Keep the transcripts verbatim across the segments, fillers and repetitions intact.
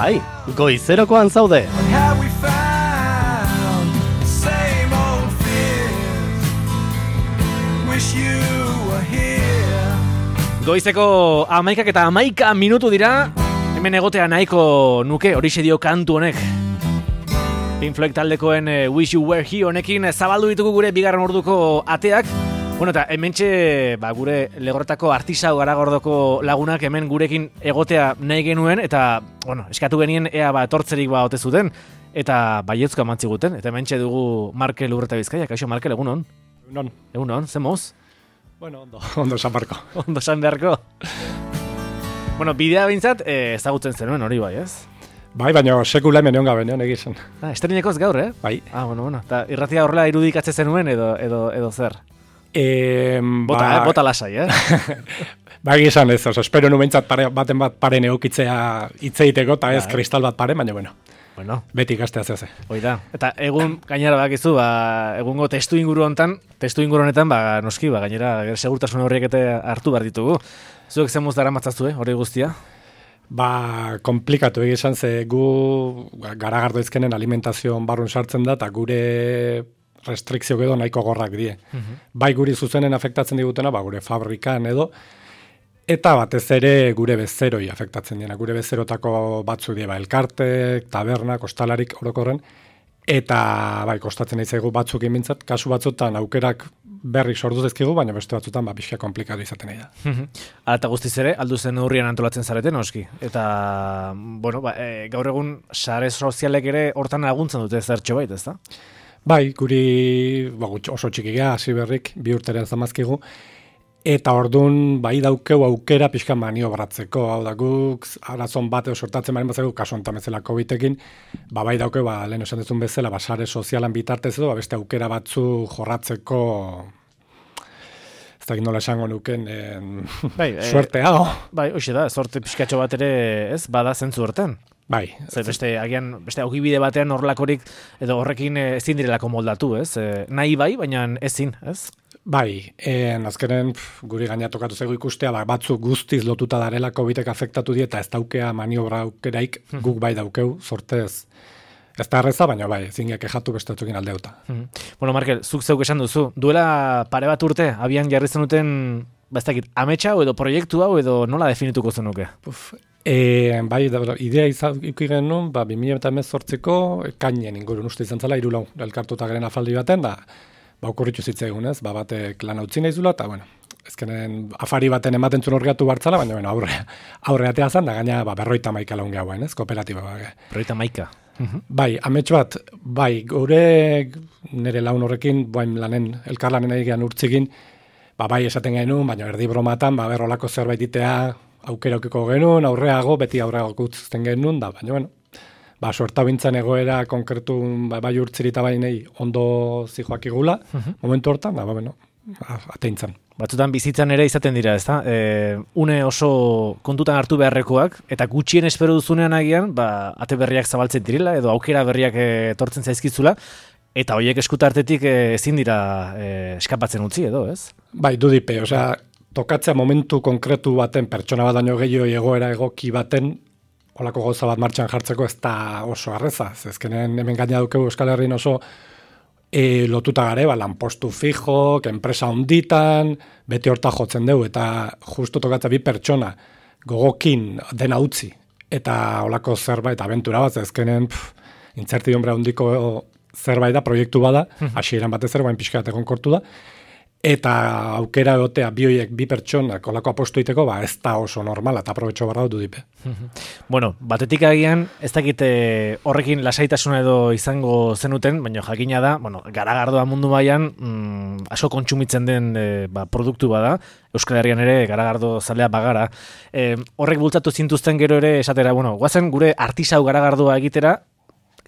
Bai, goizerokoan zaude. Goizeko amaikak eta amaika minutu dira, hemen egotea nahiko nuke, horixe dio kantu honek. Pink Floyd taldekoen uh, Wish You Were Here honekin zabaldu ditugu gure bigarren orduko ateak. Bueno, eta hementxe ba, gure legorretako artisau Garagordoko lagunak hemen gurekin egotea nahi genuen, eta bueno, eskatu genien ea ba, etortzerik ba ote zuten, eta baietzko amantzi guten, eta hementxe dugu Markel Urreta Bizkaia. Kaixo Markel, egunon? Egunon. Egunon, ze moz? Bueno, ondo, ondo san beharko. Ondo san beharko. Bueno, bidea behintzat eh, ezagutzen zenuen hori bai, ez? Bai, baina sekula hemen egon gabe, neon egizan. Ah, estreninekoz gaur, eh? Bai. Ah, bueno, bueno. Ta irratia horrela irudikatze zenuen edo, edo, edo zer? E, bota, ba... eh? Bota lasai, eh? Ba, egizan ez, oso, espero nu behintzat pare, baten bat paren eukitzea hitzeiteko, eta ez ba, kristal bat pare, baina bueno. Bueno. Beti ikastea zeze. Hoi da. Eta egun, gainera bakizu, ba, egungo testu inguru hontan, testu inguru honetan, ba, noski, ba, gainera, segurtasun horriek eta hartu behar ditugu. Zuek zemuz dara matzaztu, eh, hori guztia? Ba, komplikatu egizan, ze gu Garagardo izkenen alimentazioan barrun sartzen da, eta gure restrikzio edo nahiko gorrak die. Uh-huh. Bai guri zuzenen afektatzen digutena, ba, gure fabrikan edo, eta batez ere gure bezeroi afektatzen diena. Gure bezerotako batzu die, ba, elkartek, tabernak, ostalarik orokorren, eta bai, kostatzen nahi zaigu batzuk imintzat, kasu batzutan aukerak berrik sortu zezkigu, baina beste batzutan ba, pixka komplikatu izaten nahi da. Uh-huh. Ala eta guztiz ere, aldu zen neurrian antolatzen zareten, oski. Eta, bueno, ba, e, gaur egun sare sozialek ere hortan laguntzen dute zertxo bait, ez da? Bai, guri ba, oso txikigea, hasi berrik, bi urteren zamazkigu, eta orduan bai daukeu aukera pixka maniobratzeko, hau da guk, arazon bat sortatzen baren batzeko, kasu ontan bezala COVID-ekin, ba, bai daukeu, ba, lehen esan dezun bezala, ba, sare sozialan bitartez edo, ba, beste aukera batzu jorratzeko, ez da nola esango nuken, en, bai, suerte hau. Bai, hoxe da, sorte pixkatxo bat ere, ez, bada zentzu horten. Bai. Zer, beste, agian, beste augibide batean horrelakorik, edo horrekin ezin direlako moldatu, ez? E, nahi bai, baina ezin, ez? Bai, en, azkenen pf, guri gaina tokatu zaigu ikustea, ba, batzuk guztiz lotuta darela covidek afektatu die, eta ez daukea maniobra aukeraik guk bai daukeu, sortez. Ez da erreza, baina bai, zingeak ejatu bestatzukin aldeuta. Hmm. Bueno, Markel, zuk zeuk esan duzu, duela pare bat urte, abian jarri zenuten, ba ez dakit, ametsa hau edo proiektu hau edo nola definituko zenuke? Puf, e, bai, da, idea izuki genuen, ba, bi mila hemezortziko kainen ingurun uste izan zela, irulau elkartuta garen afaldi baten, da, ba, okurritu zitzaigun, ez, ba, batek lan utzi nahi zula, eta, bueno, ezkenen afari baten ematen zuen orriatu bartzala, baina, bueno, aurre, aurre atea zan, da, gaina, ba, berroita maika laun gehauen, ez, kooperatiba, ba, berroita maika. Uhum. Bai, amets bat, bai, gure nire laun horrekin, bain lanen, elkarlanen egian urtzigin, ba, bai, esaten genuen, baina erdi bromatan, ba, berrolako zerbait itea aukeraukiko genuen, aurreago, beti aurreago kutzten genuen, da, baina, bueno, ba, suerta bintzen egoera konkretu, ba, bai urtzirita bainei ondo zijoak igula, uhum. Momentu hortan, da, ba, bueno, ateintzen. Batzutan bizitzan ere izaten dira, ezta? E, une oso kontutan hartu beharrekoak, eta gutxien espero duzunean agian, ba, ate berriak zabaltzen direla, edo aukera berriak etortzen zaizkizula, eta horiek eskutartetik ezin dira e, eskapatzen utzi edo, ez? Bai, dudipe, osea, tokatzea momentu konkretu baten, pertsona bat daño gehiago egoera egoki baten, holako gauza bat martxan jartzeko ez da oso arreza. Ezkenen hemen gaina dukegu Euskal Herrin oso E, lotuta gare, ba, lanpostu fijo, enpresa onditan, beti horta jotzen dugu, eta justu tokatza bi pertsona gogokin dena utzi, eta holako zerbait, abentura bat, ezkenen intzertidumbrea hondiko zerbait da, proiektu bada, hasieran batez ere, bain pixka bat egonkortu da, eta aukera egotea bi hoiek, bi pertsonak olako apostu iteko, ba, ez da oso normala, eta aprobetxo barra dut dipe. Bueno, batetik agian, ez dakite horrekin lasaitasuna edo izango zenuten, baina jakina da, bueno, Garagardoa mundu baian, mm, asko kontsumitzen den e, ba, produktu bada, Euskal Herrian ere Garagardo zalea bagara. E, horrek bultzatu zintuzten gero ere esatera, bueno, guazen gure artisau Garagardoa egitera,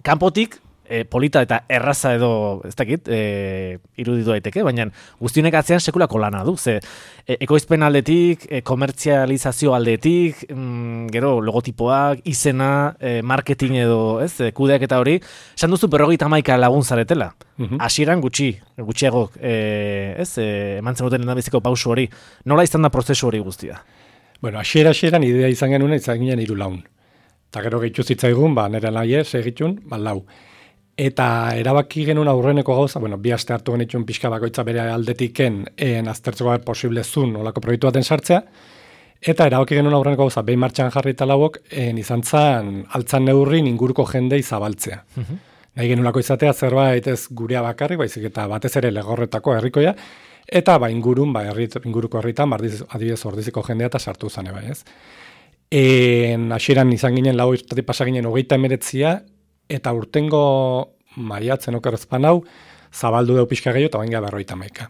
kanpotik, E, polita eta erraza edo, ez dakit, e, iruditu daiteke, baina guztionek atzean sekulako lana du, ze e, ekoizpen aldetik, e, komertzializazio aldetik, mm, gero logotipoak, izena, e, marketing edo, ez, e, kudeak eta hori, esan duzu berrogeita hamaika lagun zaretela. Hasieran gutxi, gutxiago, e, ez, e, eman zenuten lehendabiziko pausu hori, nola izan da prozesu hori guztia? Bueno, hasiera hasieran idea izan genuen, izan ginen hiru laun. eta gero gehitu zitzaigun, ba, nire nahi ez egitun, ba, lau. Eta erabaki genuen aurreneko gauza, bueno, bi aste hartu genitxun pixka bakoitza bere aldetiken en aztertzeko bat posible zun olako proiektu baten sartzea, eta erabaki genuen aurreneko gauza, behin martxan jarri eta lauok, en izan zan, altzan neurrin inguruko jendei zabaltzea. Uh-huh. Nahi genulako izatea zerbait ez gurea bakarrik, baizik eta batez ere legorretako herrikoia, eta ba ingurun, ba herrit, inguruko herritan, ba, adibidez ordiziko jendea eta sartu zane bai, ez. En hasieran izan ginen lau urtetik pasa ginen hogeita emeretzia, eta urtengo maiatzen okerrezpan hau, zabaldu deu pixka gehiago, eta bain berroita maika.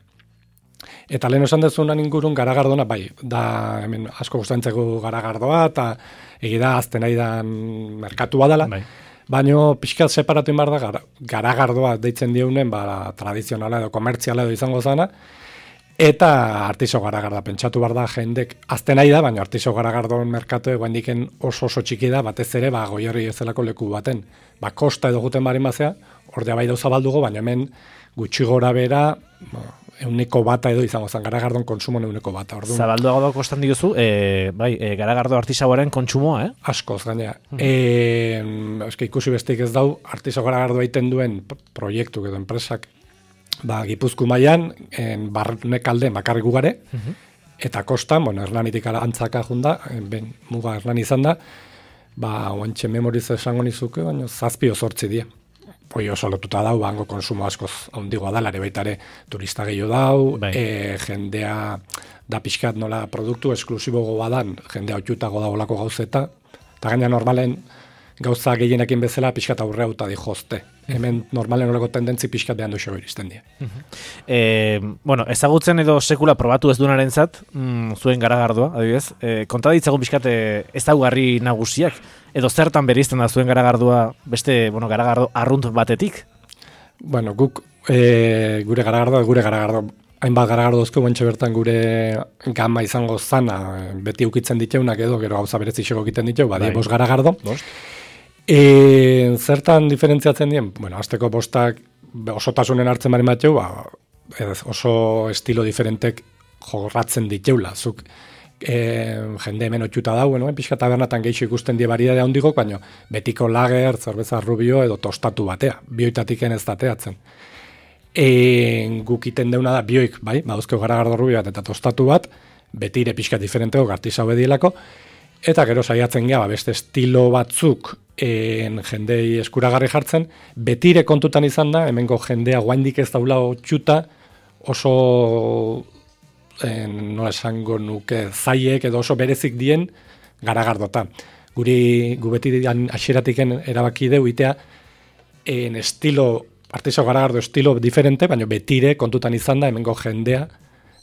Eta lehen esan dezunan ingurun garagardona, bai, da hemen asko gustantzeko garagardoa, eta egida azten nahi dan merkatua dela, bai. Baina pixka separatu inbar da gara, garagardoa deitzen diunen, ba, tradizionala edo komertziala edo izango zana, eta artiso garagarda pentsatu bar da jendek azten nahi da, baina artiso garagardoen merkatu eguendiken oso oso txiki da, batez ere ba, goierri ezelako leku baten. Ba, kosta edo guten barin bazea, ordea bai dauza baldugo, baina hemen gutxi gora bera, ba, euneko bata edo izango zen, garagardon konsumo euneko bata. Orduan, zabalduago da kostan diguzu, e, bai, e, garagardo artisagoaren kontsumoa, eh? Askoz, gainea. Hmm. E, eske ikusi besteik ez dau, artiso garagardoa egiten duen proiektu edo enpresak, ba, Gipuzku mailan en barnek alde bakarrik gugare, uh-huh. Eta kostan, bueno, Hernanitik antzaka junda, ben, muga Hernani izan da, ba, oantxe memoriz esango nizuke, baina zazpio zortzi die. Hoi oso lotuta dau, bango konsumo askoz ondigoa da, lare baitare turista gehiago dau, bai. e, jendea da pixkat nola produktu esklusibo goadan, jendea otxutago da olako gauzeta, eta gaina normalen gauza gehienekin bezala pixkat aurre hauta di jozte. Hemen normalen horreko tendentzi pixkat behan duxo iristen die. Uh-huh. E, bueno, ezagutzen edo sekula probatu ez duenaren zat, mm, zuen garagardoa, adibidez, e, konta ditzagun pixkat e, ezaugarri nagusiak, edo zertan bereizten da zuen garagardoa beste, bueno, garagardo arrunt batetik? Bueno, guk e, gure garagardoa, gure garagardo, hainbat garagardo dozko guentxe bertan gure gama izango zana, beti ukitzen diteunak edo, gero gauza berezixeko egiten diteu, badie bai. Bost garagardo. Bost. E, zertan diferentziatzen dien? Bueno, azteko bostak osotasunen hartzen bari mateu, ba, oso estilo diferentek jorratzen diteula. Zuk e, jende hemen otxuta dau, bueno, pixka tabernatan geixo ikusten die variedade handigok, baina betiko lager, zerbeza rubio edo tostatu batea, bioitatik ez dateatzen. E, guk iten deuna da bioik, bai, baduzkeo garagardo rubio bat eta tostatu bat, betire pixka diferenteko gartisa obedielako, eta gero saiatzen gea, ba, beste estilo batzuk en jendei eskuragarri jartzen, betire kontutan izan da, hemengo jendea guaindik ez daula otxuta, oso en, nola esango nuke zaiek edo oso berezik dien garagardota. Guri gu beti hasieratiken erabaki deu itea en estilo, artiso garagardo estilo diferente, baina betire kontutan izan da, hemengo jendea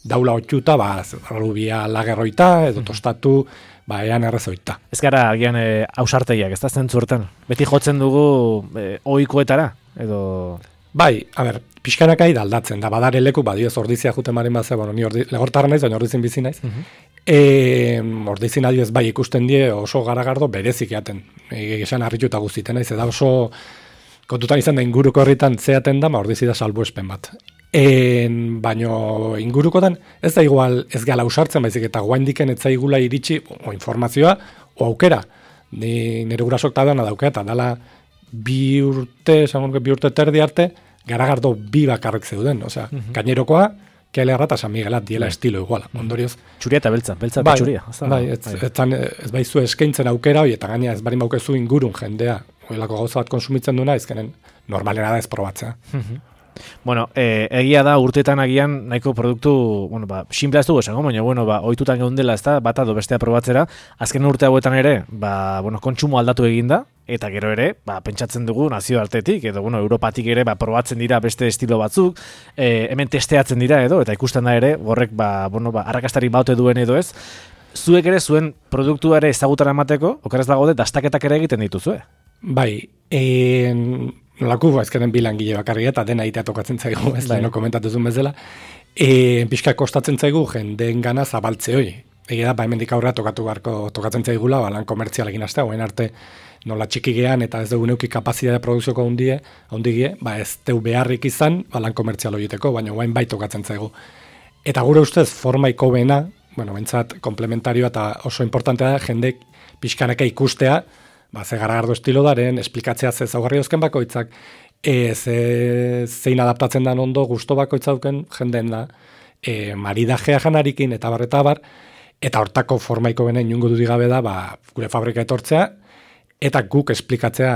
daula otxuta, ba, rubia lagerroita edo tostatu, ba, ean errezoita. Ez gara, agian, e, ausarteiak, ez da zentzurten? Beti jotzen dugu e, ohikoetara, edo... Bai, a ber, pixkanakai da aldatzen, da badare leku, badioz ordizia juten maren bazea, bueno, ni ordi, legortarra naiz, baina ordizin bizi naiz. Uh-huh. E, ordizin adioz bai ikusten die oso garagardo berezik eaten. Egesan harrituta guztiten naiz, eta oso kontutan izan da inguruko herritan zeaten da, ma ordizi da salbuespen bat. En, baino ingurukotan ez da igual ez gala usartzen, baizik eta guaindiken ez zaigula iritsi o informazioa o aukera. Ni nire gurasok tabana daukea, eta dala bi urte, esango bi urte terdi arte, garagardo bi bakarrik zeuden. Osea, uh-huh. Gainerokoa, Kealerra eta San Miguelat diela bai. Estilo iguala. Ondorioz. Txuria eta beltza, beltza eta bai, txuria. Bai, ez, ez, ez baizu eskaintzen aukera hori, eta gaina ez barin baukezu ingurun jendea, oilako gauza bat konsumitzen duena, ezkenen normalera da ez probatzea. Uh-huh. Bueno, eh, egia da urteetan agian nahiko produktu, bueno, ba, simplea ez dugu esango, baina, bueno, ba, ohitutan geundela, ez da, bata do bestea probatzera, azken urte hauetan ere, ba, bueno, kontsumo aldatu eginda, eta gero ere, ba, pentsatzen dugu nazioartetik, edo, bueno, Europatik ere, ba, probatzen dira beste estilo batzuk, eh, hemen testeatzen dira edo, eta ikusten da ere, horrek, ba, bueno, ba, arrakastari baute duen edo ez, zuek ere zuen produktua ere ezagutara emateko, okerrez dago dastaketak ere egiten dituzue. Bai, en... Nolako, ezkeren bilangile bakarri eta dena itea tokatzen zaigu, ez da, no komentatuzun bezala. E, pixka kostatzen zaigu jendeen gana zabaltze hoi. Egia da, ba, hemendik aurrera tokatu garko tokatzen zaigula, ba, lan komertzialekin astea, oen arte nola txiki gean eta ez dugu neuki kapazitatea produzioko hundie, hundigie, ba, ez deu beharrik izan, ba, lan komertzial horieteko, baina oain bai tokatzen zaigu. Eta gure ustez, formaiko bena, bueno, bentsat, komplementarioa eta oso importantea da, jendek pixkanaka ikustea, ba, ze garagardo estilo daren, esplikatzea ze zaugarri eusken bakoitzak, e, ze, zein adaptatzen dan ondo gusto bakoitzauken jenden da, e, maridajea janarikin, eta bar, eta bar, eta hortako formaiko bene inungo dudik gabe da, ba, gure fabrika etortzea, eta guk esplikatzea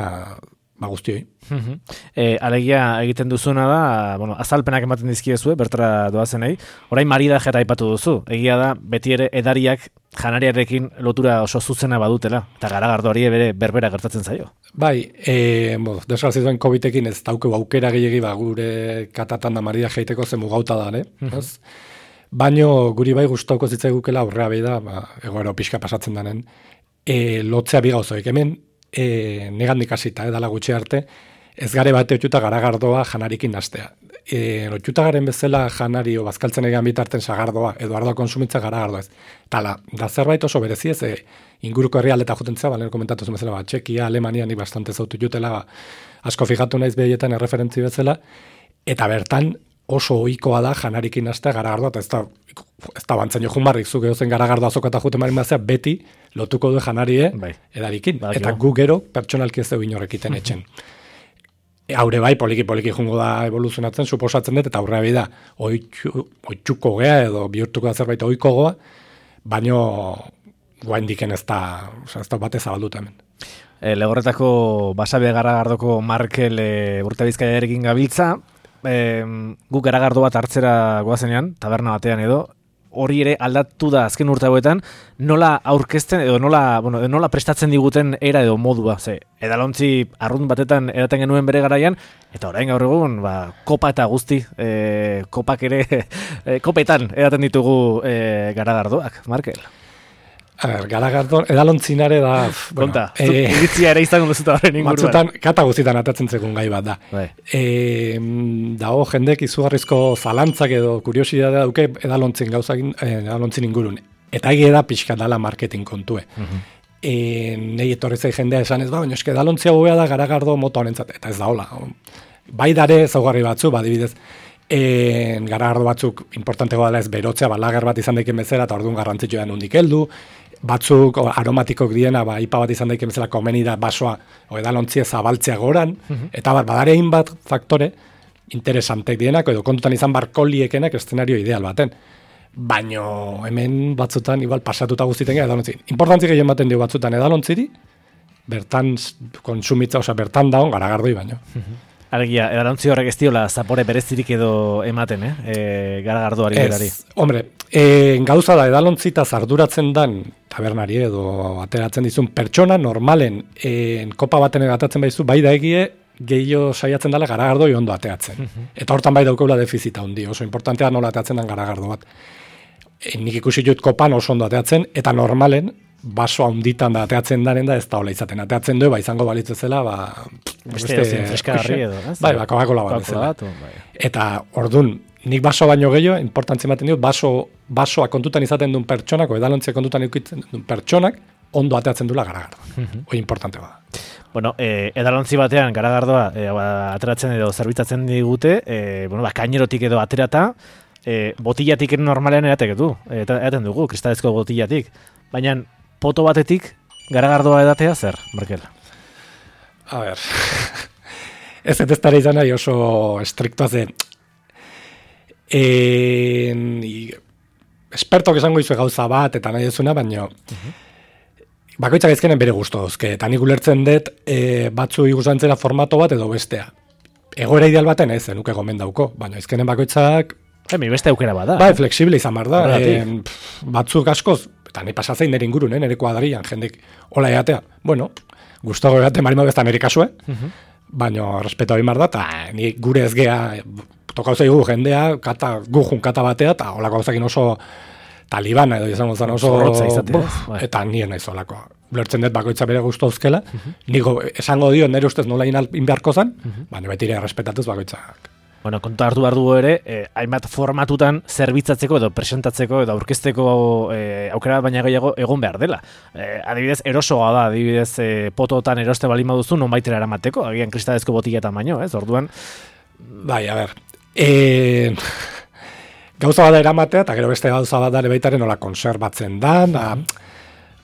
ba guztioi. Uh-huh. E, alegia egiten duzuna da, bueno, azalpenak ematen dizkiezue, bertara doazenei, orain maridajea aipatu duzu, egia da, beti ere edariak janariarekin lotura oso zuzena badutela, eta garagardoari bere berbera gertatzen zaio. Bai, e, bo, desgrazituen COVID-ekin ez daukeu aukera gehiagi ba, gure katatan da maridaje egiteko zen mugauta da, ne? Uh-huh. Baino guri bai gustauko zitzaigukela aurrea behi da, ba, egoero pixka pasatzen danen, e, lotzea bigauzoik, hemen e, negandik hasita, edala gutxi arte, ez gare bate otxuta garagardoa janarikin nastea. E, otxuta garen bezala janari o bazkaltzen egan bitarten sagardoa, edo ardoa konsumitza garagardoa ez. Tala, da zerbait oso berezi ez, e, inguruko herrialdeta jutentzea, balen komentatu zen bezala, ba, Txekia, Alemania, ni bastante zautu jutela, ba, asko fijatu naiz behietan erreferentzi bezala, eta bertan oso ohikoa da janarikin nastea garagardoa, eta ez da, ez da bantzen jo junbarrik, zuk edozen garagardoa azokata juten marin bazea, beti lotuko du janarie bai. Edarikin, bai, eta gu gero pertsonalki ez dugu inorrekiten etxen. Haure bai, poliki-poliki jungo da evoluzionatzen, suposatzen dut, eta aurrea bai da, oitxuko gea edo bihurtuko da zerbait ohiko goa, baino guaindiken ez da, ez da batez zabalduta hemen. E, Legorretako basabe garagardoko Markel e, urte bizkaiarekin gabiltza, e, guk garagardo bat hartzera goazenean, taberna batean edo, hori ere aldatu da azken urte hauetan, nola aurkezten edo nola, bueno, nola prestatzen diguten era edo modua, ze edalontzi arrunt batetan edaten genuen bere garaian, eta orain gaur egun, ba, kopa eta guzti, e, kopak ere, e, kopetan edaten ditugu e, garagardoak, Markel. A ber, garagardo, edalontzinare da... Bueno, konta, e, iritzia ere izango duzuta horren inguruan. Batzutan, kata guztietan atatzen zegoen gai bat da. Bai. E, dago jendek izugarrizko zalantzak edo kuriosidadea dauke edalontzin gauzakin, edalontzin ingurun. Eta egia da pixka dala marketing kontue. Uh-huh. E, nei etorri zai jendea esan ez ba, baina eske edalontzia gobea da garagardo moto honentzat. Eta ez da hola. Bai dare zaugarri batzu, badibidez, e, garagardo batzuk importanteko dela ez berotzea, ba, lager bat izan daiken bezala, eta orduan garrantzitsua da nondik heldu, batzuk aromatikok diena, ba, ipa bat izan daiken bezala komeni da basoa, o edalontzia zabaltzea goran, uh-huh. eta bat, badarein bat faktore interesantek dienak, edo kontutan izan barkoliekenak eszenario ideal baten. Baino hemen batzutan, igual pasatuta guztiten edalontzi. Importantzik egin baten dio batzutan edalontziri, bertan konsumitza, oza, bertan daun garagardoi baino. Uh-huh. Alegia, edalontzi horrek ez diola zapore berezirik edo ematen, eh? E, garagardoari berari. Ez, hombre, e, gauza da edalontzi eta zarduratzen dan tabernari edo ateratzen dizun pertsona normalen e, kopa baten egatatzen baizu, bai da egie gehiago saiatzen dela garagardoi ondo ateatzen. Uh-huh. Eta hortan bai daukeula defizita handi, oso importantea nola ateatzen den garagardo bat. E, nik ikusi dut kopan oso ondo ateatzen, eta normalen baso handitan da ateatzen daren da ez da hola izaten. Ateatzen du, ba, izango balitzezela, ba... Beste dozien freskagarri edo, ez? Bai, ba, Coca-Cola bat bezala. Bai. Eta, ordun nik baso baino gehiago, importantzia ematen dio, baso, basoa kontutan izaten duen pertsonak, o edalontzia kontutan izaten duen pertsonak, ondo ateatzen duela garagardoa. Uh-huh. Hoi importante bada. Bueno, eh, edalontzi batean garagardoa eh, ba, ateratzen edo zerbitzatzen digute, eh, bueno, ba, kainerotik edo aterata, eh, botillatik normalean eratek du, eta eraten dugu, kristalezko botillatik. Baina, poto batetik garagardoa edatea zer, Markel? A ber, ez ez tara izan nahi oso estriktoa zen. En, espertok esango izue gauza bat, eta nahi ezuna, baina uh-huh. bakoitzak ezkenen bere gustu dauzke, eta nik ulertzen dut e, batzu igusantzera formato bat edo bestea. Egoera ideal baten ez, nuke gomen dauko, baina ezkenen bakoitzak... Emi, beste aukera bada. Bai, flexible izan bar da. E, batzuk askoz, eta nahi pasatzen nire ingurun, eh, nire kuadrian, jendek hola eatea. Bueno, gustago eate marima bezta nire kasue, uh-huh. baina respeto egin bar da, eta ni gure ez gea, tokau zaigu jendea, kata, gujun kata batea, eta holako gauzakin oso talibana edo izango zen oso... Izatea, bai. Eta nien naiz holako. Lertzen dut bakoitza bere gustu auzkela, uh-huh. niko esango dio nire ustez nola inbeharko zen, uh-huh. baina betire errespetatuz bakoitzak. Bueno, kontu hartu behar dugu ere, eh, hainbat formatutan zerbitzatzeko edo presentatzeko edo aurkezteko eh, aukera baina gehiago egon behar dela. Eh, adibidez, erosoa da, adibidez, eh, pototan eroste balima duzu, non baitera eramateko, agian kristalezko botilletan baino, ez? Orduan... Bai, a ber, e... gauza bada eramatea, eta gero beste gauza bada ere baitaren nola konserbatzen da, da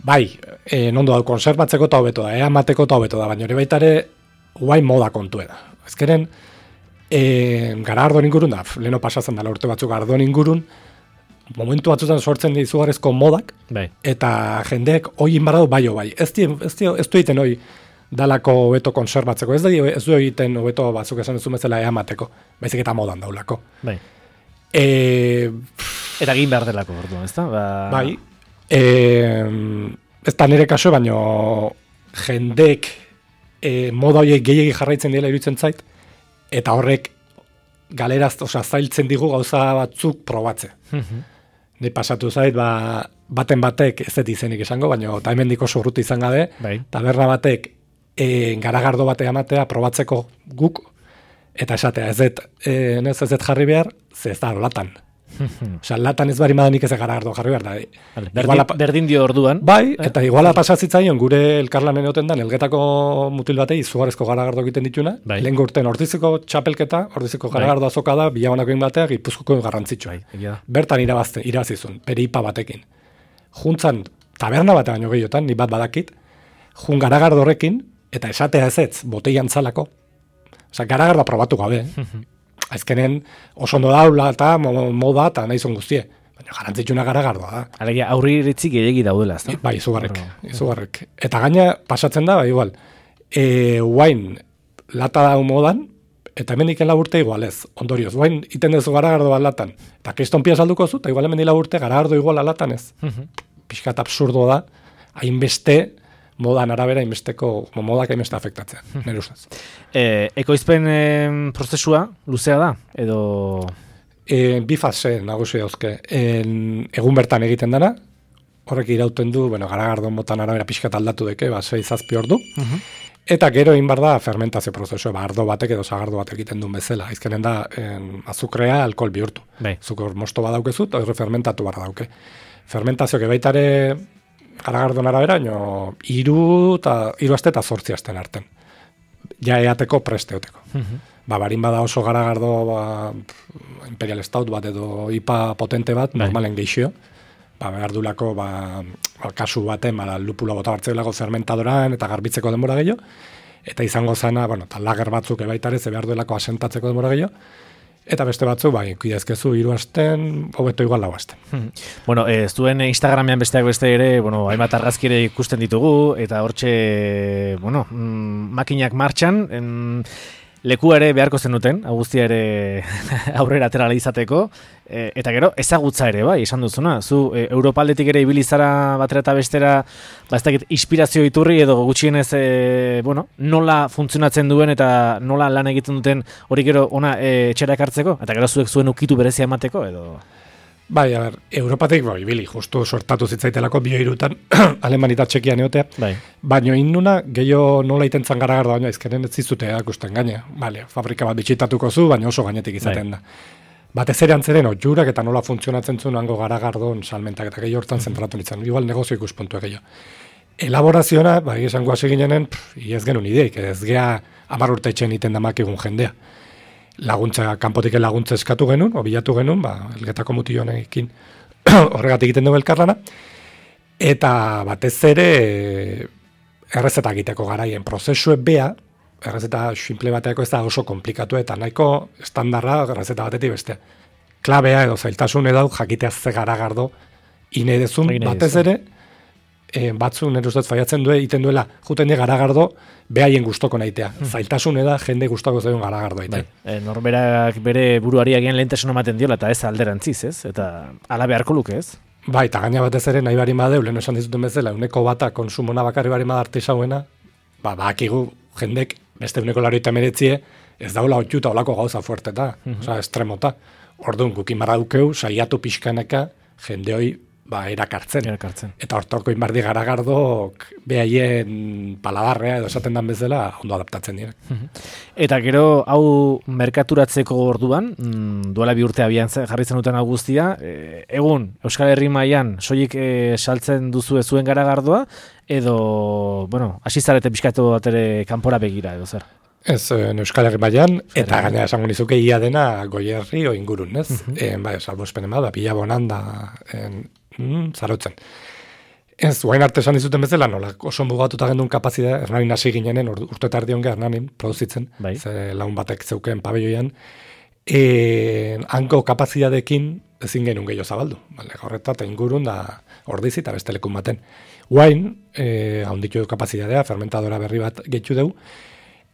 bai, e, nondo da, konserbatzeko eta hobeto da, ea mateko eta hobeto da, baina hori baita ere, guain moda kontue da. Ezkeren, e, gara ardon ingurun da, leheno pasatzen dela urte batzuk ardon ingurun, momentu batzutan sortzen izugarrizko modak, bai. Eta jendeek hoi inbaradu bai bai. Ez, di, ez, di, ez du egiten hoi dalako hobeto konserbatzeko, ez, di, ez du egiten hobeto batzuk esan ez bezala eamateko, baizik eta modan daulako. Bai. E, eta egin behar delako, orduan, ez da? Ba... Bai. E, ez da nire kaso, baino jendeek e, moda horiek gehiegi jarraitzen dira iruditzen zait, eta horrek galeraz, osea, zailtzen digu gauza batzuk probatze. Ni pasatu zait, ba, baten batek, ez dut izenik esango, baina eta hemen diko urruti izan gabe, bai. Taberna batek e, garagardo batea amatea probatzeko guk, eta esatea, ez dut, e, ez dut jarri behar, ze ez da latan. Osea, latan ez bari madanik ez garagardo jarri behar da. Vale, berdin, iguala, berdin dio orduan. Bai, eta iguala pasazitzaion gure elkarlanen egoten da, elgetako mutil batei izugarrezko garagardo egiten dituna, bai. Lehen urten ordiziko txapelketa, ordiziko garagardo azoka da, bilabanako bateak Gipuzkoako garrantzitsua. Bai, ja. Bertan irabazte, irabazizun, peripa batekin. Juntzan, taberna batean baino gehiotan, ni bat badakit, jun garagardo horrekin, eta esatea ez ez, boteian zalako. Osea, garagardoa probatu gabe, azkenen oso ondo daula eta moda eta nahi zon guztie. Baina garantzitsuna garagardoa da. Alegia, aurri iritzik gehiagi daudela, ez da? Bai, izugarrek, izugarrek. Eta gaina pasatzen da, bai, igual, e, guain lata da modan, eta hemen iken laburte igual ez, ondorioz. Guain iten dezu garagardoa latan. Eta kriston pia salduko zu, eta igual hemen laburte garagardo igual latan ez. Piskat absurdo da, hainbeste, modan arabera inbesteko, modak hainbeste afektatzen, nire ustez. E, ekoizpen e, prozesua luzea da, edo... E, bi fase nagusi dauzke. En, egun bertan egiten dana, horrek irauten du, bueno, garagardo motan arabera pixkat aldatu deke, ba, sei zazpi ordu, uh-huh. Eta gero egin bar da fermentazio prozesua, ba, ardo batek edo zagardo batek egiten duen bezala. Izkenen da, en, azukrea alkohol bihurtu. Bai. Zukur mosto badaukezu, eta horre fermentatu bar dauke. Fermentazio baitare garagardon arabera, no, iru, ta, iru aste eta zortzi asten arten. Ja eateko presteoteko. Uh-huh. Ba, barin bada oso garagardo, ba, Imperial Stout bat edo I P A potente bat, bai. Normalen geixio. Ba, behar dulako, ba, kasu baten, ba, lupula bota hartzeulako fermentadoran eta garbitzeko denbora gehiago. Eta izango zana, bueno, eta lager batzuk ebaitare, ze behar duelako asentatzeko denbora gehiago. Eta beste batzu, bai, kuidezkezu hiru asten, hobeto igual lau asten. Hmm. Bueno, ez duen Instagramean besteak beste ere, bueno, hainbat argazki ere ikusten ditugu, eta hortxe, bueno, mm, makinak martxan, en, leku ere beharko zenuten, guztia ere aurrera aterala izateko, e, eta gero ezagutza ere, bai, esan duzuna. Zu, e, Europaldetik ere ibilizara batera eta bestera, ba, ez dakit, inspirazio iturri edo gutxienez, e, bueno, nola funtzionatzen duen eta nola lan egiten duten hori gero ona e, etxera ekartzeko, eta gero zuek zuen ukitu berezia emateko, edo... Bai, a ber, Europatik, bai, ibili, justu sortatu zitzaitelako bioirutan, Aleman eta Txekian egotea, bai. Baina innuna, gehiago nola itentzan garagardo, baina izkeren ez zizute akusten gaine. Vale, fabrika bat bitxitatuko zu, baina oso gainetik izaten bai. Da. Batez ere antzeren, jurak eta nola funtzionatzen zuen hango garagardon salmentak eta gehiago hortan zentratu nintzen, igual negozio ikuspuntua gehiago. Elaboraziona, bai, esango hasi ginenen, ez genuen ideik, ez gea hamar urte etxen iten damak egun jendea. Laguntza, kanpotik laguntza eskatu genuen, o bilatu genuen, ba, elgetako mutillonekin horregatik egiten dugu elkarlana, eta batez ere errezeta egiteko garaien prozesue bea, errezeta simple bateako ez da oso komplikatu eta nahiko estandarra errezeta batetik bestea. Klabea edo zailtasun edau jakitea ze garagardo ine dezun, batez ere, e, batzu nire ustez faiatzen du egiten duela, juten die garagardo behaien gustoko nahitea. Hmm. Zailtasun eda jende gustoko zaion garagardo aitea. Bai. E, norberak bere buruari agian lehentasun ematen diola eta ez alderantziz, ez? Eta ala beharko luke, ez? Bai, eta gaina batez ere nahi bari madeu, lehen esan dizuten bezala, uneko bata konsumona bakarri bari madarte izauena, ba, bakigu jendek beste uneko laroita meretzie, ez daula otxuta olako gauza fuerteta, mm-hmm. Osa, estremota. Orduan, gukin barra dukeu, saiatu pixkaneka, jende hoi, ba, erakartzen. erakartzen. Eta hortoko inbardi garagardok behaien paladarrea edo esaten dan bezala ondo adaptatzen dira. Eta gero, hau merkaturatzeko orduan, mm, duela bi urte abian jarri zen duten hau guztia, e, egun, Euskal Herri mailan soilik e, saltzen duzu zuen garagardoa, edo, bueno, asizarete pixkatu bat ere kanpora begira, edo zer? Ez, Euskal Herri mailan, eta gaina esango nizuke ia dena Goierri o ingurun, ez? Uh-huh. E, bai, salbo espenen bada, pila bonan da, en, mm, zarotzen. Ez, guain arte esan dizuten bezala, nola, oso mugatuta gendun kapazidea, Hernanin hasi ginenen, urte eta erdi onge Hernanin produzitzen, bai. Ze laun batek zeuken pabelloian, e, hanko kapazidadekin ezin genuen gehiago zabaldu. Bale, horreta eta ingurun da ordizi eta beste lekun baten. Guain, e, haunditu kapazidadea, fermentadora berri bat gehitu dugu,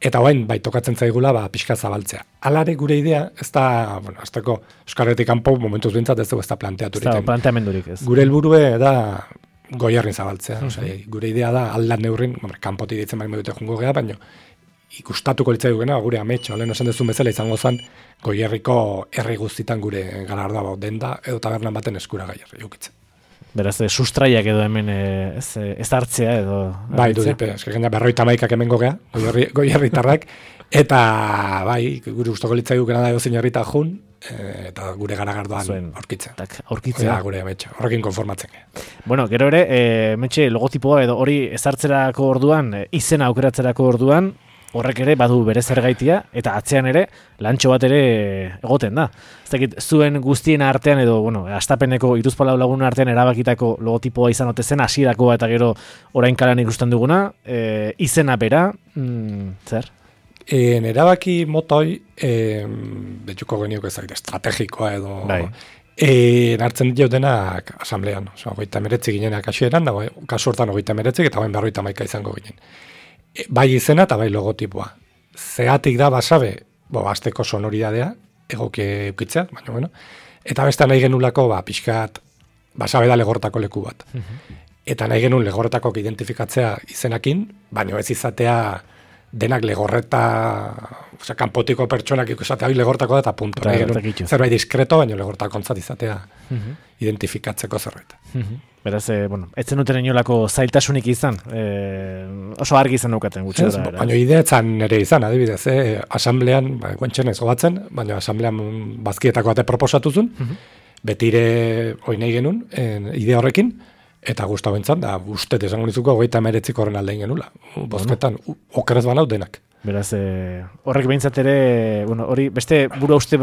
eta guain, bai, tokatzen zaigula, ba, pixka zabaltzea. Alare gure idea, ez da, bueno, azteko Euskarretik kanpo momentuz bintzat ez dugu ez da planteaturik. Ez da, planteamendurik ez. Gure helburue da goierrin zabaltzea. Mm -hmm. Osea, gure idea da aldan neurrin, kanpotik ditzen baino dute jungo gea, baino ikustatuko litzai dugena, gure ametxo, lehen esan dezun bezala izango zen, goierriko herri guztitan gure galardua denda, edo tabernan baten eskura gaierri eukitzen. Beraz, sustraiak edo hemen ez, ez hartzea edo... Bai, du dipe, eske gaina berroita maikak hemengo gea, goierritarrak, eta bai, gure gustoko litzai dugena da edo herrita jun, eta gure garagardoan aurkitzen. Aurkitzea. Gure ametxo, horrekin konformatzen. Bueno, gero ere, e, metxe logotipoa edo hori ezartzerako orduan, e, izena aukeratzerako orduan, horrek ere badu bere zergaitia, eta atzean ere lantxo bat ere egoten da. Ez dakit, zuen guztien artean edo, bueno, astapeneko iruzpalau lagun artean erabakitako logotipoa izan ote zen, hasierako eta gero orain kalan ikusten duguna, e, izena bera, mm, zer? En erabaki motoi, e, betxuko geniok ezagite, estrategikoa edo... Bai. E, hartzen ditu denak asamblean, oza, goita meretzi ginenak asieran, da, kasu hortan goita meretzik, eta bain berroita maika izango ginen. E, bai izena eta bai logotipoa. Zeatik da basabe, bo, azteko sonoridadea, egoki eukitzea, baina, bueno, eta beste nahi genulako, ba, pixkat, basabe da legortako leku bat. Uh-huh. Eta nahi genuen legorretako identifikatzea izenakin, baina ez izatea denak legorreta, osea, kanpotiko pertsonak ikusatea, hori legortako da eta punto. Claro, zerbait diskreto, baina legortako ontzat izatea uh-huh. identifikatzeko zerbait. Uh-huh. Beraz, eh, bueno, etzen duten inolako zailtasunik izan, eh, oso argi izan nukaten gutxi ez, da. Baina idea etzan nire izan, adibidez, eh, asamblean, ba, guentxen ez gobatzen, baina asamblean bazkietako bate proposatuzun, uh-huh. betire hoi nahi genuen, en, idea horrekin, eta guztau entzan, da, ustet esango nizuko, goita meretzik horren aldein genula. Bozketan, bueno. Okerez banau denak. Beraz, eh, horrek behintzat ere, bueno, hori, beste buru uste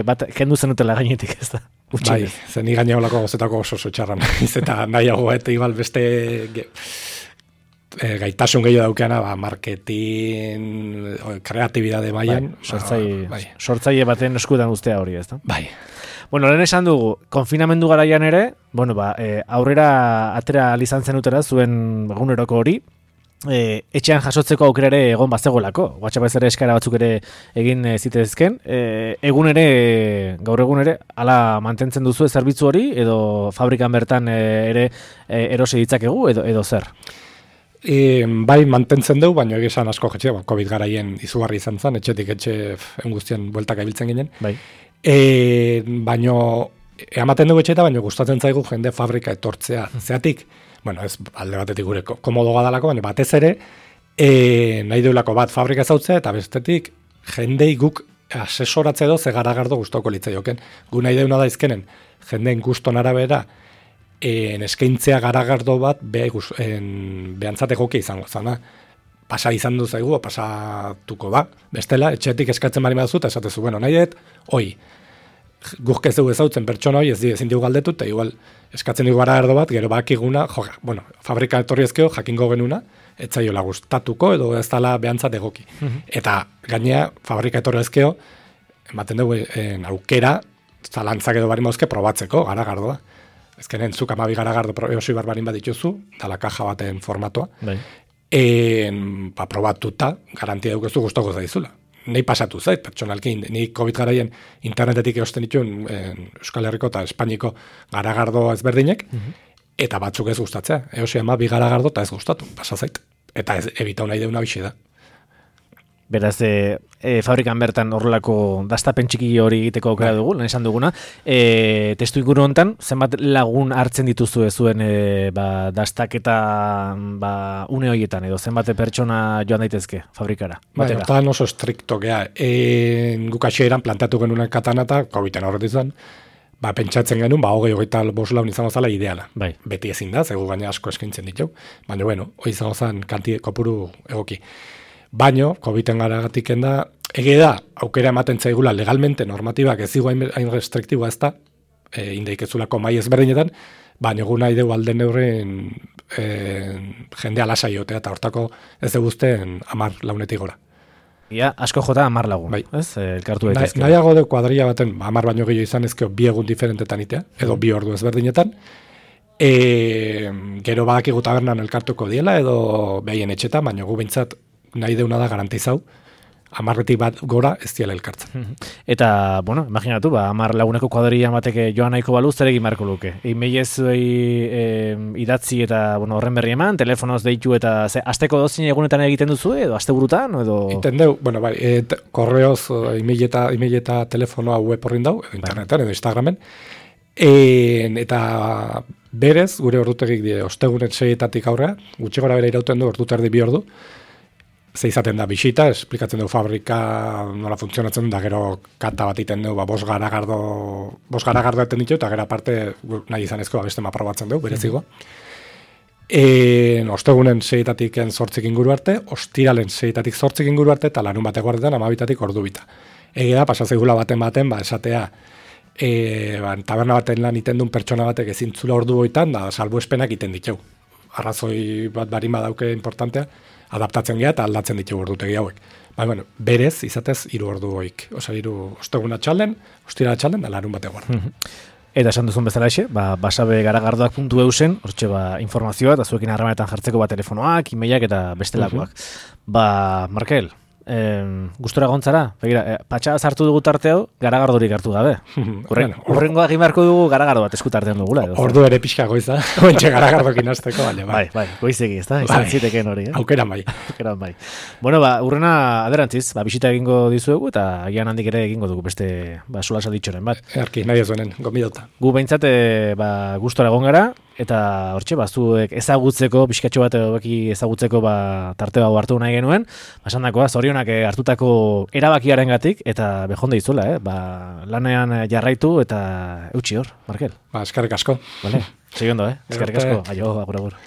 bat kendu zenutela gainetik, ez da? Utsi bai, zen igaina holako gozetako oso oso txarra nahiz, eta nahiago, eta igual beste ge, e, gaitasun gehiago daukeana, ba, marketing, kreatibidade maian. Bai, sortzaile, bai. sortzaile baten eskudan ustea hori, ez da? Bai. Bueno, lehen esan dugu, konfinamendu garaian ere, bueno, ba, e, aurrera atera alizan zenutera zuen eguneroko hori, e, etxean jasotzeko aukera ere egon bazegolako. WhatsApp ez ere eskara batzuk ere egin e, zitezken. E, egun ere, gaur egun ere, ala mantentzen duzu zerbitzu hori, edo fabrikan bertan e, ere e, erosi ditzakegu, edo, edo zer? E, bai mantentzen dugu, baina egizan asko jetxe, ba, COVID garaien izugarri izan zen, etxetik etxe enguztien bueltak abiltzen ginen. Bai. E, baino, ematen dugu etxeta, baino gustatzen zaigu jende fabrika etortzea. Zeatik, bueno, ez alde batetik gure komodo gadalako, baina batez ere, e, nahi duelako bat fabrika zautzea, eta bestetik, jendei guk asesoratze edo, ze garagardo gustoko litzaioken. Gu nahi deuna da izkenen, jendeen guston arabera, en eskaintzea garagardo bat, be, en, behantzateko izango zana. Pasa izan du zaigu, pasatuko da. Bestela, etxetik eskatzen bari maduzu, eta esatezu, bueno, nahi dut, oi, guk ez dugu ezautzen pertsona hoi, ez di, ezin dugu galdetu, eta igual eskatzen dugu garagardo bat, gero bakiguna, jo, bueno, fabrika etorri ezkeo, jakingo genuna, ez zaiola gustatuko, edo ez dala behantzat egoki. Uh-huh. Eta gainea, fabrika etorri ezkeo, ematen dugu en, aukera, zalantzak edo bari mauzke probatzeko, garagardoa. Ezkenen, zuk amabi garagardo eosi barbarin bat dituzu, dala kaja baten formatua. Bai. En, ba, probatuta, garantia dukezu gustoko zaizula. Nei pasatu zait, pertsonalkin, ni COVID garaien internetetik erosten dituen Euskal Herriko eta Espainiko garagardo ezberdinek, uh-huh. eta batzuk ez gustatzea. Eosi ama bi garagardo eta ez gustatu, pasa zait. Eta ez ebitau nahi deuna bixe da. Beraz, e, e, fabrikan bertan horrelako dastapen txiki hori egiteko aukera dugu, lan esan duguna. E, testu inguru hontan, zenbat lagun hartzen dituzu zuen e, ba, dastaketa ba, une horietan, edo zenbat pertsona joan daitezke fabrikara? Bai, hortan oso estrikto gea. E, guk hasieran plantatu genuen katanata, COVID-en horret izan, ba, pentsatzen genuen, ba, hogei hogeita bost laun izango zala ideala. Bai. Beti ezin da, zegu gaina asko eskaintzen ditu, baina, bueno, hori izango zen kanti kopuru egoki. Baino, COVID-en garagatik da, ege da, aukera ematen zaigula legalmente normatibak ez zigu hain restriktiboa ez da, e, indeikezulako mai ezberdinetan, baina gu nahi dugu alden neurrin e, jendea lasai jotea, eta hortako ez dugu guztien amar launetik gora. Ia, asko jota amar lagun, bai. ez? Elkartu Na, daitezke. nahiago de kuadrilla baten, amar baino gehiago izan ezkeo bi egun diferentetan itea, edo bi ordu ezberdinetan, e, gero badakigu tabernan elkartuko diela, edo behien etxetan, baina gu behintzat nahi deuna da garantizau, amarretik bat gora ez diela elkartzen. Eta, bueno, imaginatu, ba, amar laguneko kuadrilla bateke joan nahiko balu, zer egin beharko luke. E-mailez e, idatzi eta, bueno, horren berri eman, telefonoz deitu eta, ze, asteko dozin egunetan egiten duzu, edo aste burutan, edo... Iten deu, bueno, bai, e, korreoz, e-mail eta, e-mail eta telefonoa web horrin dau, edo internetan, edo Instagramen, e, eta berez, gure ordutegik die, ostegunen seietatik aurrea, gutxi gora bere irauten du, ordu terdi bi ordu, ze izaten da bisita, esplikatzen du fabrika nola funtzionatzen da, gero kata bat iten du, ba, bos garagardo, bos garagardo eten ditu, eta gero aparte nahi izanezko beste maprobatzen du, berezigo. E, ostegunen seietatik zortzik inguru arte, ostiralen seietatik zortzik inguru arte, eta larun bateko artetan amabitatik ordu bita. Ege da, pasazeigula baten baten, ba, esatea, e, ba, taberna baten lan iten duen pertsona batek ezintzula ordu goitan, da, salbuespenak iten ditu. Arrazoi bat barin badauke importantea, adaptatzen geha eta aldatzen ditugu ordutegi hauek. Baina, bueno, berez, izatez, hiru ordu goik. Osa, hiru osteguna txalden, ostira txalden, da larun bate guarda. Eta esan duzun bezala exe, ba, basabe garagardoak puntu eusen, hortxe ba, informazioa, eta zuekin harremanetan jartzeko ba, telefonoak, e-mailak eta bestelakoak. Ba, Markel, eh, gustora gontzara, begira, eh, patxa sartu dugu tarte hau, garagardorik hartu gabe. Urren, urrengoa egin beharko dugu garagardo bat eskutartean dugula. Edo, ordu ere pixka goiza, ointxe garagardokin hasteko, baina, bai. Bai, bai, goizegi, ez da? Izan bai. ziteken hori, eh? Aukeran bai. Aukeran bai. Bueno, ba, urrena aderantziz, ba, bisita egingo dizuegu, eta agian handik ere egingo dugu beste, ba, solasa ditxoren bat. Erki, nahi ez duenen, gomidota. Gu behintzat, ba, gustora egon gara, eta hortxe, ba, zuek ezagutzeko, pixkatxo bat egoki ezagutzeko, ba, tarte hau hartu nahi genuen, basan dakoa, zorionak hartutako erabakiarengatik eta behonde izuela, eh? Ba, lanean jarraitu eta eutxi hor, Markel. Ba, eskerrik asko. Vale, segi ondo, eh? Eskerrik asko, aio, agur, agur.